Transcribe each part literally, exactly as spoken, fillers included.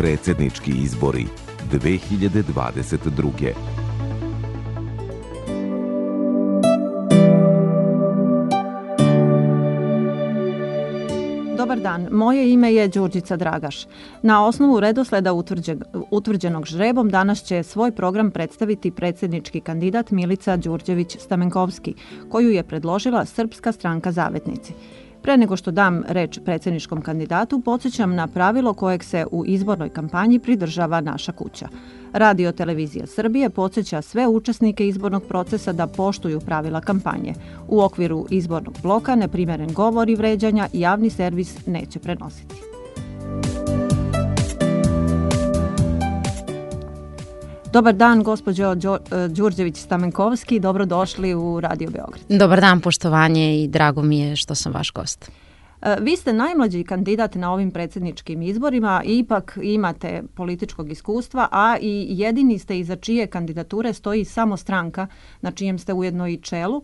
Predsjednički izbori dve hiljade dvadeset druge. Dobar dan, moje ime je Đurđica Dragaš. Na osnovu redosleda utvrđen, utvrđenog žrebom danas će svoj program predstaviti predsjednički kandidat Milica Đurđević-Stamenkovski, koju je predložila Srpska stranka Zavetnici. Pre nego što dam reč predsjedničkom kandidatu, podsjećam na pravilo kojeg se u izbornoj kampanji pridržava naša kuća. Radio Televizija Srbije podsjeća sve učesnike izbornog procesa da poštuju pravila kampanje. U okviru izbornog bloka neprimeren govor i vređanja javni servis neće prenositi. Dobar dan, gospođo Đurđević-Stamenkovski, dobrodošli u Radio Beograd. Dobar dan, poštovanje i drago mi je što sam vaš gost. Vi ste najmlađi kandidat na ovim predsjedničkim izborima, ipak imate političkog iskustva, a i jedini ste iza čije kandidature stoji samo stranka na čijem ste ujedno i čelu.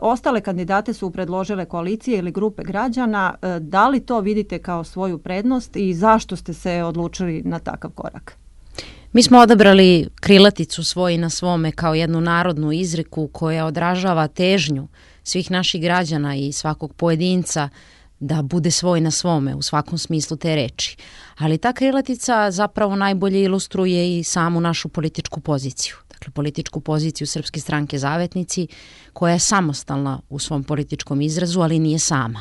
Ostale kandidate su predložile koalicije ili grupe građana. Da li to vidite kao svoju prednost i zašto ste se odlučili na takav korak? Mi smo odabrali krilaticu Svoj na svome kao jednu narodnu izreku koja odražava težnju svih naših građana i svakog pojedinca da bude svoj na svome u svakom smislu te reči. Ali ta krilatica zapravo najbolje ilustruje i samu našu političku poziciju. Dakle, političku poziciju Srpske stranke Zavetnici, koja je samostalna u svom političkom izrazu, ali nije sama.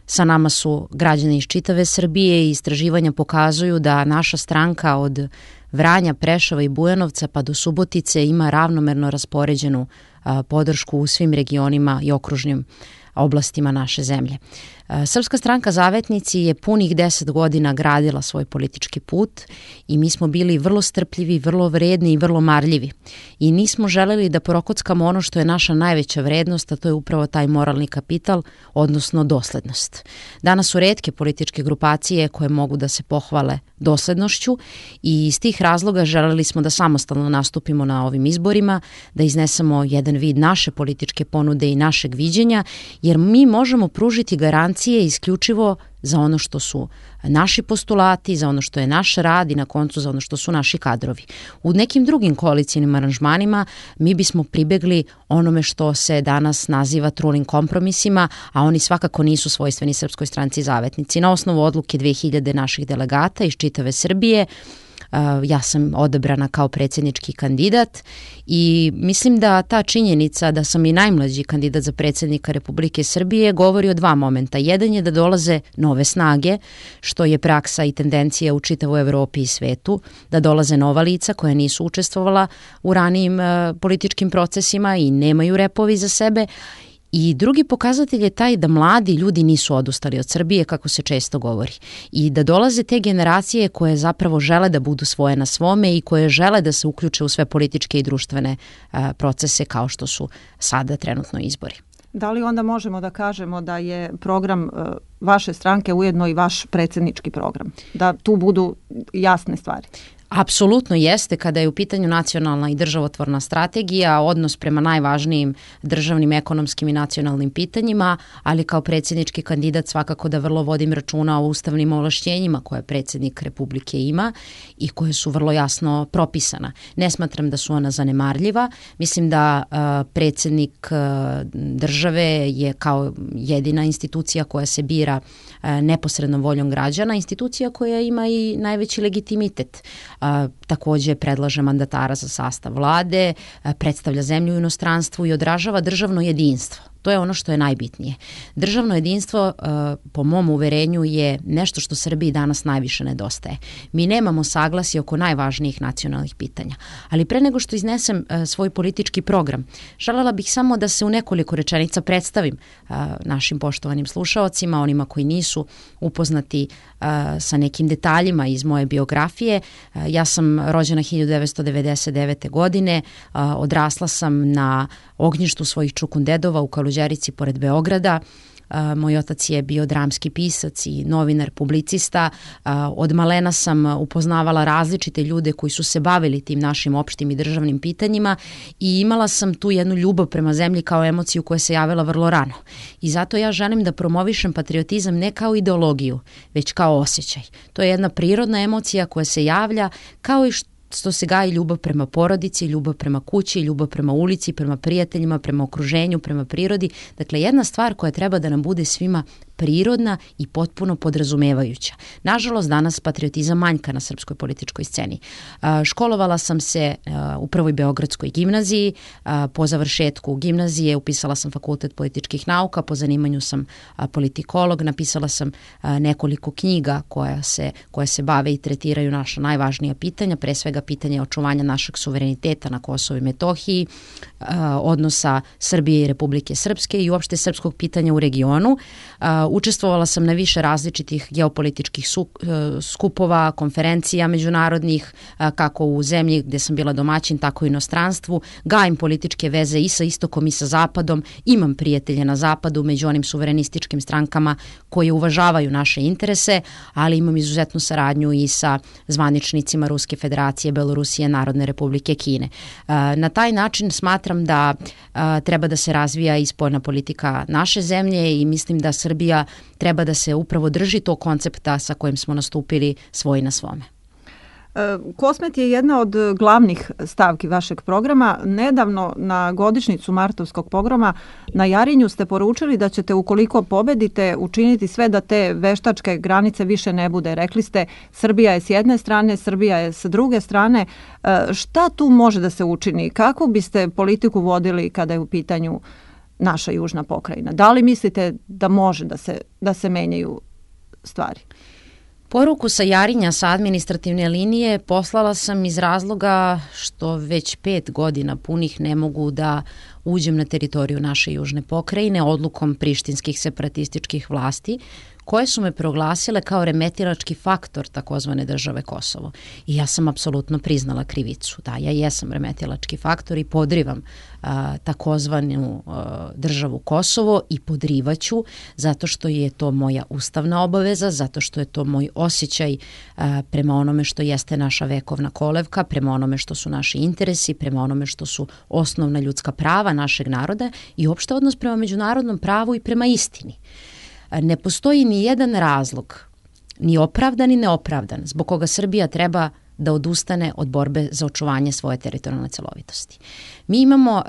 Sa nama su građani iz čitave Srbije i istraživanja pokazuju da naša stranka od Vranja, Preševa i Bujanovca pa do Subotice ima ravnomerno raspoređenu a, podršku u svim regionima i okružnim oblastima naše zemlje. Srpska stranka Zavetnici je punih deset godina gradila svoj politički put i mi smo bili vrlo strpljivi, vrlo vredni i vrlo marljivi. I nismo želeli da prokockamo ono što je naša najveća vrednost, a to je upravo taj moralni kapital, odnosno doslednost. Danas su retke političke grupacije koje mogu da se pohvale doslednošću i iz tih razloga želeli smo da samostalno nastupimo na ovim izborima, da iznesemo jedan vid naše političke ponude i našeg viđenja, jer mi možemo pružiti garancije isključivo za ono što su naši postulati, za ono što je naš rad i na koncu za ono što su naši kadrovi. U nekim drugim koalicijnim aranžmanima mi bismo pribegli onome što se danas naziva trulim kompromisima, a oni svakako nisu svojstveni Srpskoj stranci Zavetnici. Na osnovu odluke dve hiljade naših delegata iz čitave Srbije, ja sam odabrana kao predsjednički kandidat i mislim da ta činjenica da sam i najmlađi kandidat za predsjednika Republike Srbije govori o dva momenta. Jedan je da dolaze nove snage, što je praksa i tendencija u čitavoj Evropi i svetu, da dolaze nova lica koja nisu učestvovala u ranijim političkim procesima i nemaju repovi za sebe. I drugi pokazatelj je taj da mladi ljudi nisu odustali od Srbije, kako se često govori. I da dolaze te generacije koje zapravo žele da budu svoje na svome i koje žele da se uključe u sve političke i društvene a, procese kao što su sada trenutno izbori. Da li onda možemo da kažemo da je program a, vaše stranke ujedno i vaš predsjednički program? Da tu budu jasne stvari? Apsolutno jeste kada je u pitanju nacionalna i državotvorna strategija, odnos prema najvažnijim državnim, ekonomskim i nacionalnim pitanjima, ali kao predsjednički kandidat svakako da vrlo vodim računa o ustavnim ovlašćenjima koje predsjednik Republike ima i koje su vrlo jasno propisana. Ne smatram da su ona zanemarljiva. Mislim da uh, predsjednik uh, države je kao jedina institucija koja se bira uh, neposrednom voljom građana, institucija koja ima i najveći legitimitet. A, također predlaže mandatara za sastav vlade, a, predstavlja zemlju u inostranstvu i odražava državno jedinstvo. To je ono što je najbitnije. Državno jedinstvo, po mom uverenju, je nešto što Srbiji danas najviše nedostaje. Mi nemamo saglasje oko najvažnijih nacionalnih pitanja. Ali pre nego što iznesem svoj politički program, želela bih samo da se u nekoliko rečenica predstavim našim poštovanim slušaocima, onima koji nisu upoznati sa nekim detaljima iz moje biografije. Ja sam rođena hiljadu devetsto devedeset devete. godine, odrasla sam na ognjištu svojih čukundedova u Kaluđeru Kaluđerici pored Beograda. Moj otac je bio dramski pisac i novinar, publicista. Od malena sam upoznavala različite ljude koji su se bavili tim našim opštim i državnim pitanjima i imala sam tu jednu ljubav prema zemlji kao emociju koja se javila vrlo rano. I zato ja želim da promovišem patriotizam ne kao ideologiju, već kao osjećaj. To je jedna prirodna emocija koja se javlja kao i što što se gaji ljubav prema porodici, ljubav prema kući, ljubav prema ulici, prema prijateljima, prema okruženju, prema prirodi. Dakle, jedna stvar koja treba da nam bude svima prirodna i potpuno podrazumevajuća. Nažalost, danas patriotizam manjka na srpskoj političkoj sceni. Školovala sam se u prvoj Beogradskoj gimnaziji, po završetku gimnazije upisala sam fakultet političkih nauka, po zanimanju sam politikolog, napisala sam nekoliko knjiga koja se, koje se bave i tretiraju naša najvažnija pitanja, pre svega pitanje očuvanja našeg suvereniteta na Kosovu i Metohiji, odnosa Srbije i Republike Srpske i uopšte srpskog pitanja u regionu. Učestvovala sam na više različitih geopolitičkih skupova, konferencija međunarodnih, kako u zemlji gde sam bila domaćin, tako i u inostranstvu. Gajim političke veze i sa istokom i sa zapadom. Imam prijatelje na zapadu među onim suverenističkim strankama koje uvažavaju naše interese, ali imam izuzetnu saradnju i sa zvaničnicima Ruske federacije, Belorusije, Narodne republike Kine. Na taj način smatram da treba da se razvija i spoljna politika naše zemlje i mislim da Srbija treba da se upravo drži tog koncepta sa kojim smo nastupili svoj na svome. Kosmet je jedna od glavnih stavki vašeg programa. Nedavno na godišnjicu Martovskog pogroma na Jarinju ste poručili da ćete, ukoliko pobedite, učiniti sve da te veštačke granice više ne bude. Rekli ste, Srbija je s jedne strane, Srbija je s druge strane. Šta tu može da se učini? Kako biste politiku vodili kada je u pitanju naša južna pokrajina? Da li mislite da može da se, da se menjaju stvari? Poruku sa Jarinja, sa administrativne linije, poslala sam iz razloga što već pet godina punih ne mogu da uđem na teritoriju naše južne pokrajine odlukom prištinskih separatističkih vlasti, koje su me proglasile kao remetilački faktor takozvane države Kosovo. I ja sam apsolutno priznala krivicu. Da, ja jesam remetilački faktor i podrivam a, takozvanu a, državu Kosovo i podrivaću zato što je to moja ustavna obaveza, zato što je to moj osjećaj a, prema onome što jeste naša vekovna kolevka, prema onome što su naši interesi, prema onome što su osnovna ljudska prava našeg naroda i uopšte odnos prema međunarodnom pravu i prema istini. Ne postoji ni jedan razlog, ni opravdan ni neopravdan, zbog koga Srbija treba da odustane od borbe za očuvanje svoje teritorijalne celovitosti. Mi imamo uh,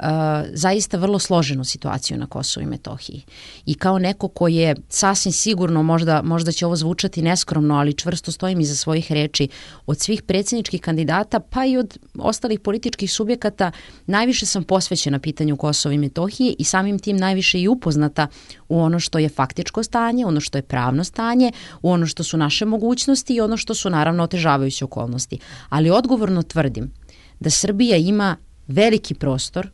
zaista vrlo složenu situaciju na Kosovu i Metohiji i kao neko ko je sasvim sigurno, možda, možda će ovo zvučati neskromno, ali čvrsto stojim iza svojih reči, od svih predsjedničkih kandidata pa i od ostalih političkih subjekata najviše sam posvećena pitanju Kosova i Metohije i samim tim najviše i upoznata u ono što je faktičko stanje, ono što je pravno stanje, u ono što su naše mogućnosti i ono što su naravno otežavajuće okolnosti. Ali odgovorno tvrdim da Srbija ima veliki prostor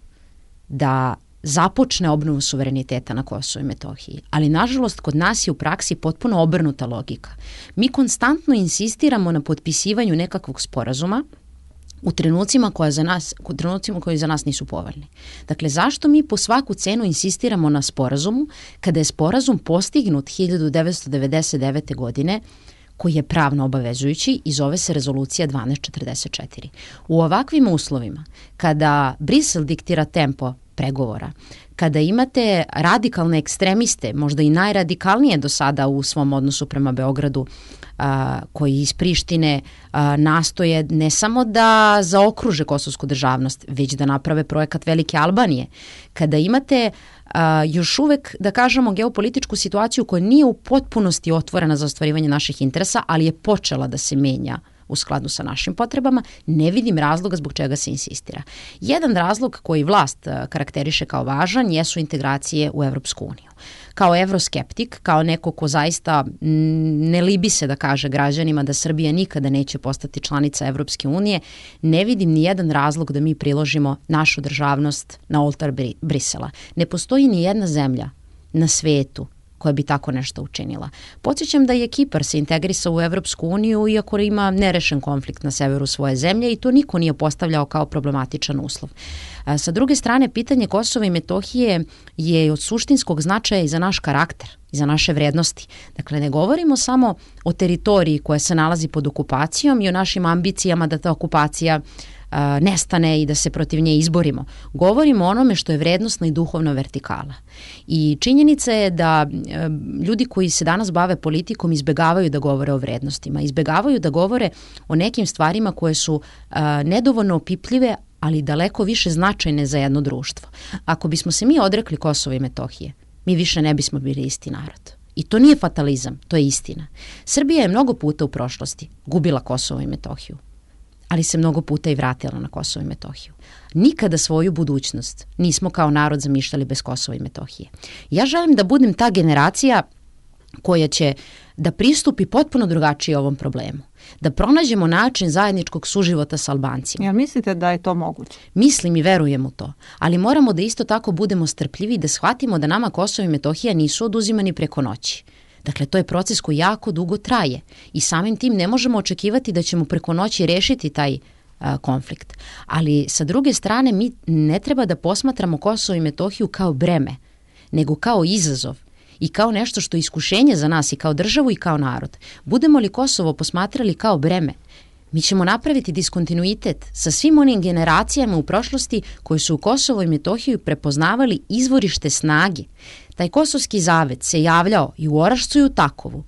da započne obnovu suvereniteta na Kosovu i Metohiji. Ali nažalost kod nas je u praksi potpuno obrnuta logika. Mi konstantno insistiramo na potpisivanju nekakvog sporazuma u trenucima koja za nas, u trenucima koji za nas nisu povoljni. Dakle, zašto mi po svaku cenu insistiramo na sporazumu kada je sporazum postignut hiljadu devetsto devedeset devete. godine, koji je pravno obavezujući i zove se Rezolucija dvanaest četrdeset četiri. U ovakvim uslovima, kada Brisel diktira tempo pregovora, kada imate radikalne ekstremiste, možda i najradikalnije do sada u svom odnosu prema Beogradu, a, koji iz Prištine a, nastoje ne samo da zaokruže kosovsku državnost, već da naprave projekat Velike Albanije, kada imate a, još uvek, da kažemo, geopolitičku situaciju koja nije u potpunosti otvorena za ostvarivanje naših interesa, ali je počela da se menja u skladu sa našim potrebama, ne vidim razloga zbog čega se insistira. Jedan razlog koji vlast karakteriše kao važan jesu integracije u Evropsku uniju. Kao evroskeptik, kao neko ko zaista ne libi se da kaže građanima da Srbija nikada neće postati članica Evropske unije, ne vidim ni jedan razlog da mi priložimo našu državnost na oltar Brisela. Ne postoji ni jedna zemlja na svetu koja bi tako nešto učinila. Podsjećam da je Kipar se integrisao u Evropsku uniju iako ima nerešen konflikt na severu svoje zemlje i to niko nije postavljao kao problematičan uslov. Sa druge strane, pitanje Kosova i Metohije je od suštinskog značaja i za naš karakter, i za naše vrednosti. Dakle, ne govorimo samo o teritoriji koja se nalazi pod okupacijom i o našim ambicijama da ta okupacija a, nestane i da se protiv nje izborimo. Govorimo o onome što je vrednostna i duhovna vertikala. I činjenica je da a, ljudi koji se danas bave politikom izbegavaju da govore o vrednostima, izbegavaju da govore o nekim stvarima koje su a, nedovoljno opipljive, ali daleko više značajne za jedno društvo. Ako bismo se mi odrekli Kosova i Metohije, mi više ne bismo bili isti narod. I to nije fatalizam, to je istina. Srbija je mnogo puta u prošlosti gubila Kosovo i Metohiju, ali se mnogo puta i vratila na Kosovo i Metohiju. Nikada svoju budućnost nismo kao narod zamišljali bez Kosova i Metohije. Ja želim da budem ta generacija koja će da pristupi potpuno drugačije ovom problemu. Da pronađemo način zajedničkog suživota sa Albancima. Jel mislite da je to moguće? Mislim i verujem u to, ali moramo da isto tako budemo strpljivi i da shvatimo da nama Kosovo i Metohija nisu oduzimani preko noći. Dakle, to je proces koji jako dugo traje i samim tim ne možemo očekivati da ćemo preko noći rešiti taj a, konflikt. Ali sa druge strane mi ne treba da posmatramo Kosovo i Metohiju kao breme, nego kao izazov i kao nešto što je iskušenje za nas i kao državu i kao narod. Budemo li Kosovo posmatrali kao breme, mi ćemo napraviti diskontinuitet sa svim onim generacijama u prošlosti koji su u Kosovo i Metohiju prepoznavali izvorište snage. Taj kosovski zavet se javljao i u Orašcu i u Takovu,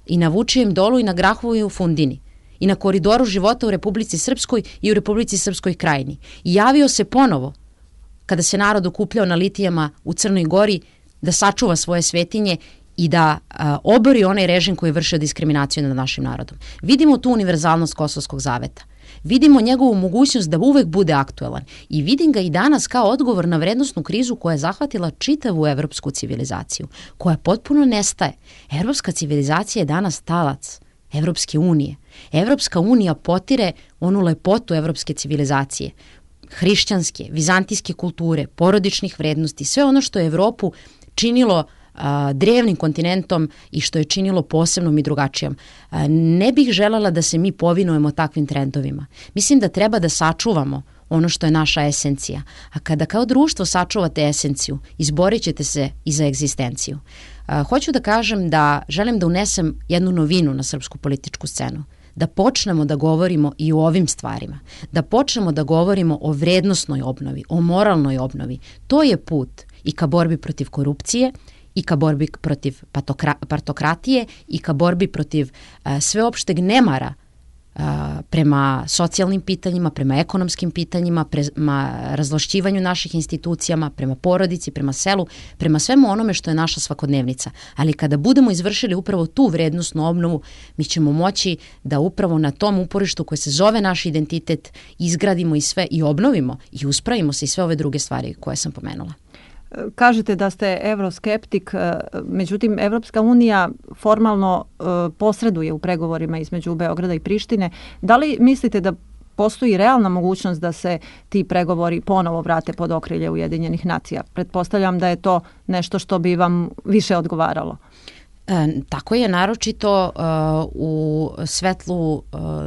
i na Vučijem dolu i na Grahovu i u Fundini, i na koridoru života u Republici Srpskoj i u Republici Srpskoj krajini. I javio se ponovo kada se narod okupljao na litijama u Crnoj Gori da sačuva svoje svetinje i da a, obori onaj režim koji je vršio diskriminaciju nad našim narodom. Vidimo tu univerzalnost Kosovskog zaveta. Vidimo njegovu mogućnost da uvek bude aktuelan i vidim ga i danas kao odgovor na vrednosnu krizu koja je zahvatila čitavu evropsku civilizaciju, koja potpuno nestaje. Evropska civilizacija je danas talac Evropske unije. Evropska unija potire onu lepotu evropske civilizacije, hrišćanske, vizantijske kulture, porodičnih vrednosti, sve ono što je Evropu činilo a, drevnim kontinentom i što je činilo posebnom i drugačijom. A, ne bih želela da se mi povinujemo takvim trendovima. Mislim da treba da sačuvamo ono što je naša esencija. A kada kao društvo sačuvate esenciju, izborit ćete se i za egzistenciju. A, hoću da kažem da želim da unesem jednu novinu na srpsku političku scenu. Da počnemo da govorimo i o ovim stvarima. Da počnemo da govorimo o vrednosnoj obnovi, o moralnoj obnovi. To je put i ka borbi protiv korupcije, i ka borbi protiv patokra, partokratije, i ka borbi protiv a, sveopšteg nemara a, prema socijalnim pitanjima, prema ekonomskim pitanjima, prema razlošćivanju naših institucijama, prema porodici, prema selu, prema svemu onome što je naša svakodnevnica. Ali kada budemo izvršili upravo tu vrednosnu obnovu, mi ćemo moći da upravo na tom uporištu koje se zove naš identitet izgradimo i sve i obnovimo i uspravimo se i sve ove druge stvari koje sam pomenula. Kažete da ste evroskeptik, međutim Evropska unija formalno posreduje u pregovorima između Beograda i Prištine. Da li mislite da postoji realna mogućnost da se ti pregovori ponovo vrate pod okrilje Ujedinjenih nacija? Pretpostavljam da je to nešto što bi vam više odgovaralo. E, tako je, naročito uh, u svetlu uh,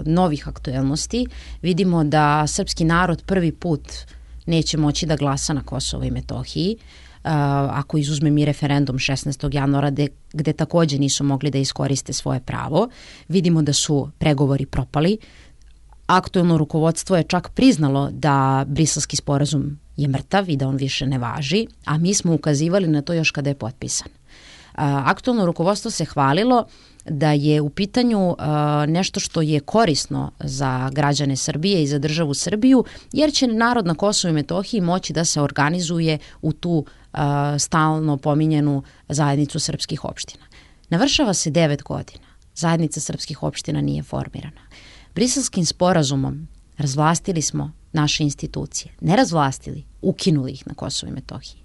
novih aktuelnosti. Vidimo da srpski narod prvi put neće moći da glasa na Kosovo i Metohiji, uh, ako izuzmem i referendum šesnaestog januara de, gde takođe nisu mogli da iskoriste svoje pravo. Vidimo da su pregovori propali. Aktuelno rukovodstvo je čak priznalo da Briselski sporazum je mrtav i da on više ne važi, a mi smo ukazivali na to još kada je potpisan. Aktuelno rukovodstvo se hvalilo da je u pitanju uh, nešto što je korisno za građane Srbije i za državu Srbiju, jer će narod na Kosovu i Metohiji moći da se organizuje u tu uh, stalno pominjenu zajednicu srpskih opština. Navršava se devet godina. Zajednica srpskih opština nije formirana. Briselskim sporazumom razvlastili smo naše institucije. Ne razvlastili, ukinuli ih na Kosovu i Metohiji.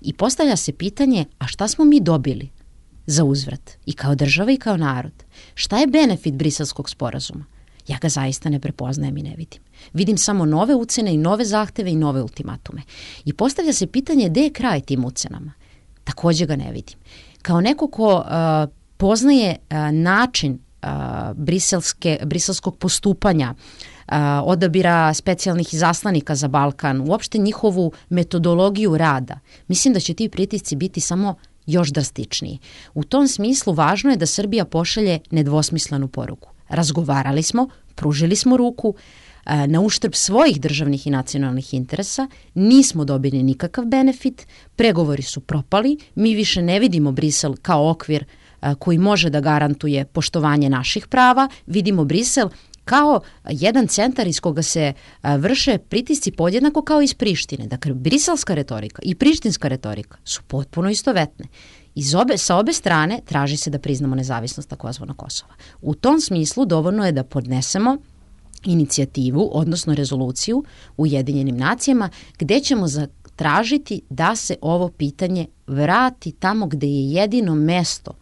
I postavlja se pitanje, a šta smo mi dobili za uzvrat i kao država i kao narod? Šta je benefit Briselskog sporazuma? Ja ga zaista ne prepoznajem i ne vidim. Vidim samo nove ucene i nove zahteve i nove ultimatume. I postavlja se pitanje gde je kraj tim ucenama? Takođe ga ne vidim. kao neko ko uh, poznaje uh, način uh, briselske, briselskog postupanja, uh, odabira specijalnih izaslanika za Balkan, uopšte njihovu metodologiju rada, mislim da će ti pritisci biti samo još drastičniji. U tom smislu važno je da Srbija pošalje nedvosmislenu poruku. Razgovarali smo, pružili smo ruku, na uštrb svojih državnih i nacionalnih interesa, nismo dobili nikakav benefit, pregovori su propali, mi više ne vidimo Brisel kao okvir koji može da garantuje poštovanje naših prava, vidimo Brisel kao jedan centar iz koga se vrše pritisci podjednako kao iz Prištine. Dakle, briselska retorika i prištinska retorika su potpuno istovetne. Iz obe, sa obe strane traži se da priznamo nezavisnost takozvanog Kosova. U tom smislu dovoljno je da podnesemo inicijativu, odnosno rezoluciju u Ujedinjenim nacijama, gde ćemo zatražiti da se ovo pitanje vrati tamo gde je jedino mesto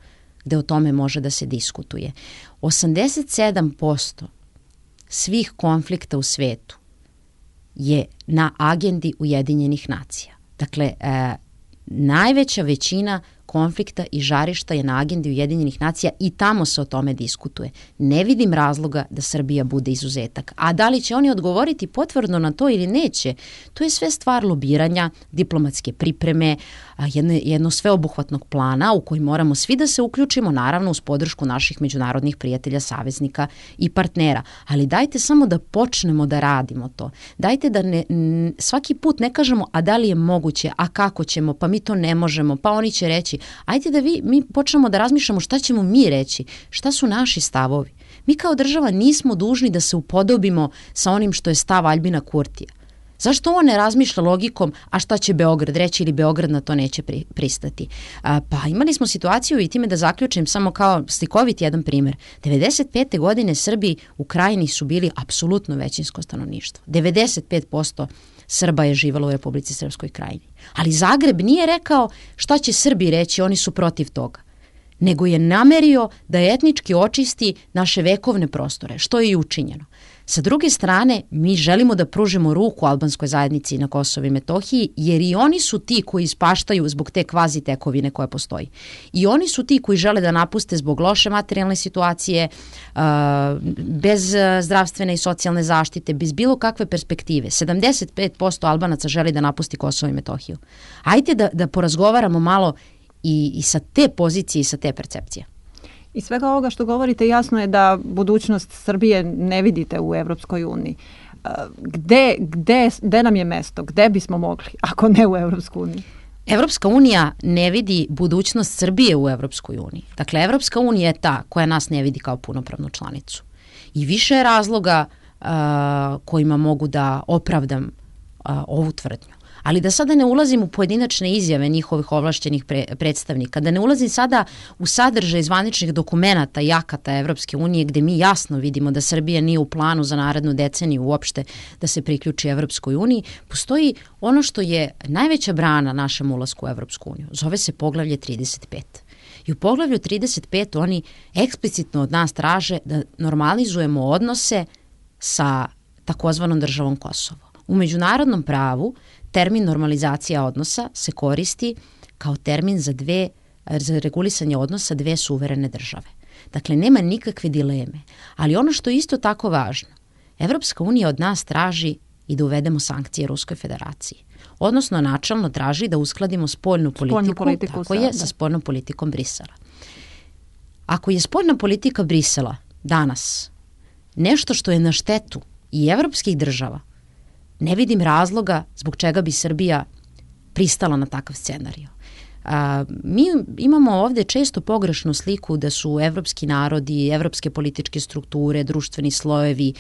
gde o tome može da se diskutuje. osamdeset sedam posto svih konflikta u svetu je na agendi Ujedinjenih nacija. Dakle, e, najveća većina konflikta i žarišta je na agendi Ujedinjenih nacija i tamo se o tome diskutuje. Ne vidim razloga da Srbija bude izuzetak. A da li će oni odgovoriti potvrdno na to ili neće, to je sve stvar lobiranja, diplomatske pripreme, jedno, jedno sveobuhvatnog plana u koji moramo svi da se uključimo, naravno uz podršku naših međunarodnih prijatelja, saveznika i partnera. Ali dajte samo da počnemo da radimo to. Dajte da ne, svaki put ne kažemo a da li je moguće, a kako ćemo, pa mi to ne možemo, pa oni će reći. Ajde da vi, mi počnemo da razmišljamo šta ćemo mi reći, šta su naši stavovi. Mi kao država nismo dužni da se upodobimo sa onim što je stav Aljbina Kurtija. Zašto on ne razmišlja logikom, a šta će Beograd reći ili Beograd na to neće pri, pristati? A, pa imali smo situaciju i time da zaključim samo kao slikovit jedan primjer. devedeset pete godine Srbi u Krajini su bili apsolutno većinsko stanovništvo. devedeset pet posto Srba je živalo u Republici Srpskoj Krajini. Ali Zagreb nije rekao šta će Srbi reći, oni su protiv toga. Nego je namerio da etnički očisti naše vekovne prostore, što je i učinjeno. Sa druge strane, mi želimo da pružimo ruku albanskoj zajednici na Kosovu i Metohiji, jer i oni su ti koji ispaštaju zbog te kvazi tekovine koja postoji. I oni su ti koji žele da napuste zbog loše materijalne situacije, bez zdravstvene i socijalne zaštite, bez bilo kakve perspektive. sedamdeset pet posto Albanaca želi da napusti Kosovo i Metohiju. Ajde da, da porazgovaramo malo i, i sa te pozicije i sa te percepcije. Iz svega ovoga što govorite jasno je da budućnost Srbije ne vidite u Evropskoj uniji. Gde, gde, gde nam je mesto? Gde bismo mogli, ako ne u Evropskoj uniji? Evropska unija ne vidi budućnost Srbije u Evropskoj uniji. Dakle, Evropska unija je ta koja nas ne vidi kao punopravnu članicu. I više je razloga uh, kojima mogu da opravdam uh, ovu tvrdnju. Ali da sada ne ulazim u pojedinačne izjave njihovih ovlašćenih pre, predstavnika, da ne ulazim sada u sadržaj zvaničnih dokumenata i akata Evropske unije gde mi jasno vidimo da Srbija nije u planu za narednu deceniju uopšte da se priključi Evropskoj uniji, postoji ono što je najveća brana našem ulasku u Evropsku uniju. Zove se poglavlje trideset pet. I u poglavlju trideset pet oni eksplicitno od nas traže da normalizujemo odnose sa takozvanom državom Kosovo. U međunarodnom pravu termin normalizacija odnosa se koristi kao termin za dve, za regulisanje odnosa dve suverene države. Dakle, nema nikakve dileme. Ali ono što je isto tako važno, Evropska unija od nas traži i da uvedemo sankcije Ruskoj federaciji. Odnosno, načalno traži da uskladimo spoljnu politiku, spoljnu politiku tako je, sa spoljnom politikom Brisela. Ako je spoljna politika Brisela danas nešto što je na štetu i evropskih država, ne vidim razloga zbog čega bi Srbija pristala na takav scenarij. A, mi imamo ovde često pogrešnu sliku da su evropski narodi, evropske političke strukture, društveni slojevi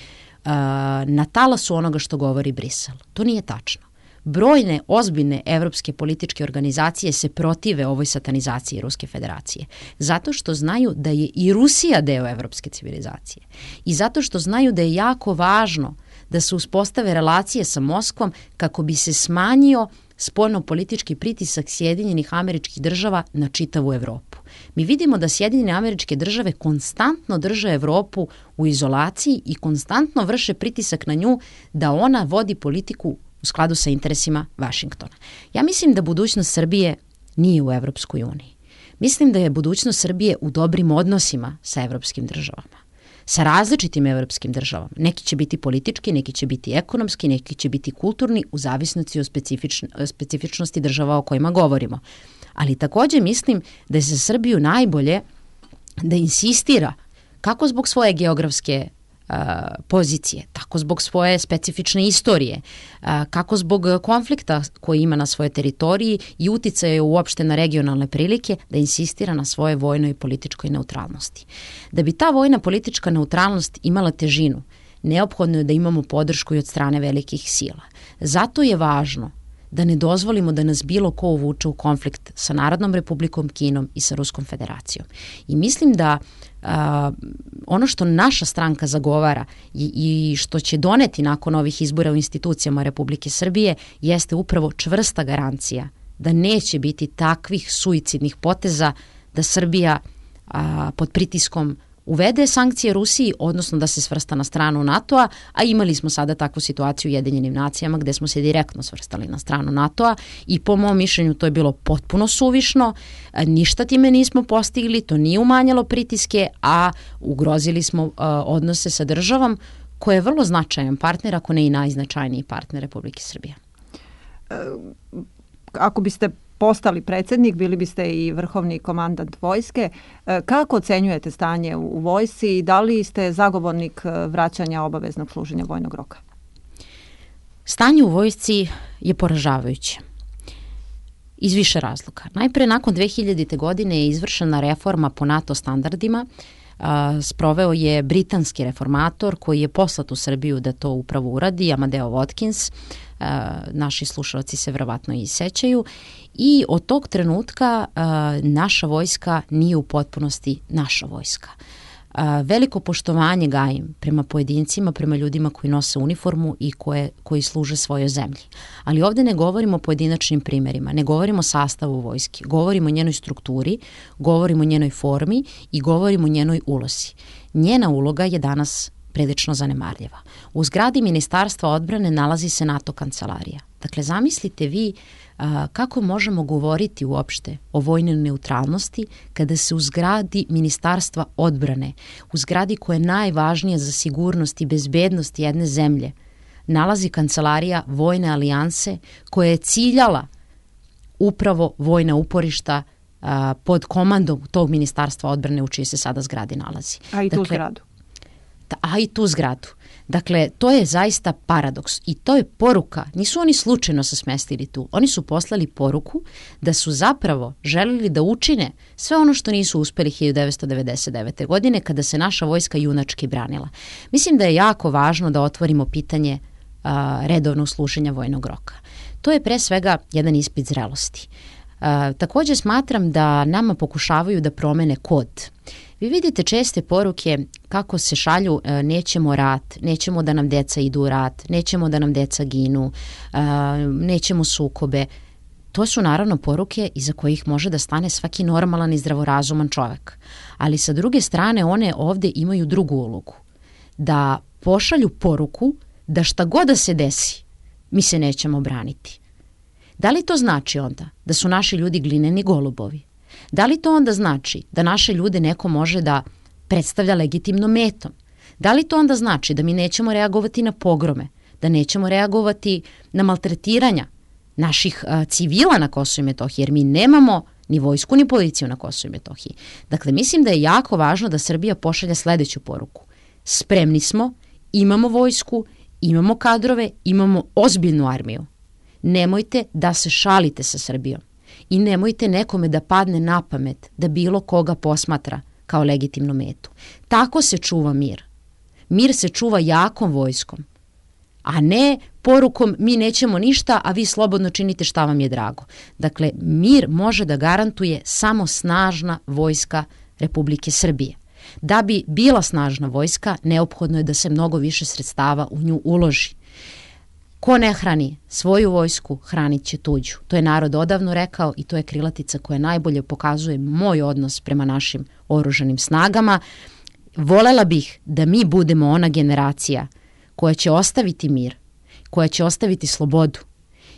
a, na talasu onoga što govori Brisel. To nije tačno. Brojne, ozbiljne evropske političke organizacije se protive ovoj satanizaciji Ruske federacije. Zato što znaju da je i Rusija deo evropske civilizacije. I zato što znaju da je jako važno da se uspostave relacije sa Moskvom kako bi se smanjio spoljno-politički pritisak Sjedinjenih Američkih Država na čitavu Evropu. Mi vidimo da Sjedinjene Američke Države konstantno drže Evropu u izolaciji i konstantno vrše pritisak na nju da ona vodi politiku u skladu sa interesima Vašingtona. Ja mislim da budućnost Srbije nije u Evropskoj uniji. Mislim da je budućnost Srbije u dobrim odnosima sa evropskim državama, sa različitim evropskim državama. Neki će biti politički, neki će biti ekonomski, neki će biti kulturni, u zavisnosti od specifičn, specifičnosti država o kojima govorimo. Ali također mislim da je za Srbiju najbolje da insistira kako zbog svoje geografske a, pozicije, tako zbog svoje specifične istorije, a, kako zbog konflikta koji ima na svojoj teritoriji i uticaje uopšte na regionalne prilike, da insistira na svojoj vojnoj i političkoj neutralnosti. Da bi ta vojna politička neutralnost imala težinu, neophodno je da imamo podršku i od strane velikih sila. Zato je važno da ne dozvolimo da nas bilo ko uvuče u konflikt sa Narodnom republikom Kinom i sa Ruskom federacijom. I mislim da a, ono što naša stranka zagovara i, i što će doneti nakon ovih izbora u institucijama Republike Srbije jeste upravo čvrsta garancija da neće biti takvih suicidnih poteza da Srbija a, pod pritiskom uvede sankcije Rusiji, odnosno da se svrsta na stranu NATO-a, a imali smo sada takvu situaciju u Ujedinjenim nacijama gde smo se direktno svrstali na stranu NATO-a i po mom mišljenju to je bilo potpuno suvišno, ništa time nismo postigli, to nije umanjalo pritiske, a ugrozili smo uh, odnose sa državom koja je vrlo značajan partner, ako ne i najznačajniji partner Republike Srbije. Ako biste postali predsjednik, bili biste i vrhovni komandant vojske. Kako ocenjujete stanje u vojsci i da li ste zagovornik vraćanja obaveznog služenja vojnog roka? Stanje u vojsci je poražavajuće. Iz više razloga. Najpre, nakon dve hiljadite. godine je izvršena reforma po NATO standardima. Sproveo je britanski reformator koji je poslat u Srbiju da to upravo uradi, Amadeo Watkins. Naši slušalci se verovatno i sećaju. I od tog trenutka naša vojska nije u potpunosti naša vojska. Veliko poštovanje gajim prema pojedincima, prema ljudima koji nose uniformu i koje, koji služe svojoj zemlji. Ali ovdje ne govorimo o pojedinačnim primjerima, ne govorimo o sastavu vojske, govorimo o njenoj strukturi, govorimo o njenoj formi i govorimo o njenoj ulozi. Njena uloga je danas prilično zanemarljiva. U zgradi Ministarstva odbrane nalazi se NATO kancelarija. Dakle, zamislite vi a, kako možemo govoriti uopšte o vojnoj neutralnosti kada se u zgradi Ministarstva odbrane, u zgradi koja je najvažnija za sigurnost i bezbednost jedne zemlje, nalazi kancelarija vojne alijanse koja je ciljala upravo vojna uporišta a, pod komandom tog Ministarstva odbrane u čiji se sada zgradi nalazi. A i tu dakle, zgradu. A i tu zgradu. Dakle, to je zaista paradoks i to je poruka. Nisu oni slučajno se smestili tu. Oni su poslali poruku da su zapravo želeli da učine sve ono što nisu uspeli hiljadu devetsto devedeset devete. godine kada se naša vojska junački branila. Mislim da je jako važno da otvorimo pitanje a, redovnog služenja vojnog roka. To je pre svega jedan ispit zrelosti. A, također smatram da nama pokušavaju da promene kod. Vi vidite česte poruke kako se šalju nećemo rat, nećemo da nam deca idu u rat, nećemo da nam deca ginu, nećemo sukobe. To su naravno poruke iza kojih može da stane svaki normalan i zdravorazuman čovjek. Ali sa druge strane one ovdje imaju drugu ulogu. Da pošalju poruku da šta god da se desi, mi se nećemo braniti. Da li to znači onda da su naši ljudi glineni golubovi? Da li to onda znači da naše ljude neko može da predstavlja legitimnom metom? Da li to onda znači da mi nećemo reagovati na pogrome, da nećemo reagovati na maltretiranja naših a, civila na Kosovu i Metohiji, jer mi nemamo ni vojsku ni policiju na Kosovu i Metohiji. Dakle, mislim da je jako važno da Srbija pošalje sljedeću poruku. Spremni smo, imamo vojsku, imamo kadrove, imamo ozbiljnu armiju. Nemojte da se šalite sa Srbijom. I nemojte nekome da padne na pamet da bilo koga posmatra kao legitimnu metu. Tako se čuva mir. Mir se čuva jakom vojskom, a ne porukom mi nećemo ništa, a vi slobodno činite šta vam je drago. Dakle, mir može da garantuje samo snažna vojska Republike Srbije. Da bi bila snažna vojska, neophodno je da se mnogo više sredstava u nju uloži. Ko ne hrani svoju vojsku, hranit će tuđu. To je narod odavno rekao i to je krilatica koja najbolje pokazuje moj odnos prema našim oružanim snagama. Volela bih da mi budemo ona generacija koja će ostaviti mir, koja će ostaviti slobodu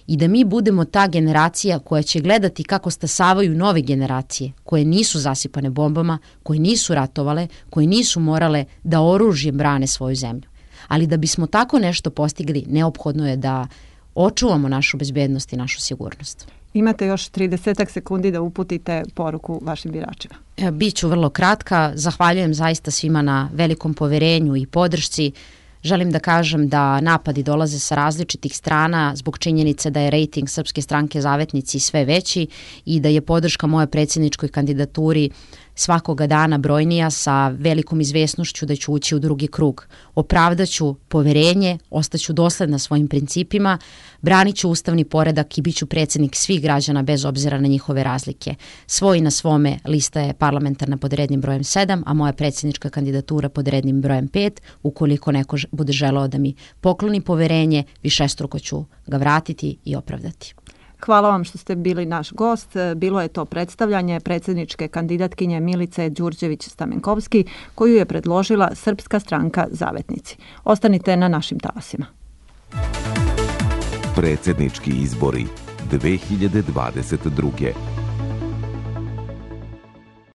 i da mi budemo ta generacija koja će gledati kako stasavaju nove generacije koje nisu zasipane bombama, koje nisu ratovale, koje nisu morale da oružjem brane svoju zemlju. Ali da bismo tako nešto postigli, neophodno je da očuvamo našu bezbednost i našu sigurnost. Imate još trideset sekundi da uputite poruku vašim biračima. Biću vrlo kratka. Zahvaljujem zaista svima na velikom poverenju i podršci. Želim da kažem da napadi dolaze sa različitih strana zbog činjenice da je rejting Srpske stranke Zavetnici sve veći i da je podrška moje predsjedničkoj kandidaturi svakoga dana brojnija, sa velikom izvesnošću da ću ući u drugi krug. Opravdaću poverenje, ostaću dosledna svojim principima, branit ću ustavni poredak i bit ću predsjednik svih građana bez obzira na njihove razlike. Svoj na svome lista je parlamentarna pod rednim brojem sedam, a moja predsjednička kandidatura pod rednim brojem pet. Ukoliko neko bude želeo da mi pokloni poverenje, višestruko ću ga vratiti i opravdati. Hvala vam što ste bili naš gost. Bilo je to predstavljanje predsjedničke kandidatkinje Milice Đurđević-Stamenkovski, koju je predložila Srpska stranka Zavetnici. Ostanite na našim talasima. Predsjednički izbori dve hiljade dvadeset druge.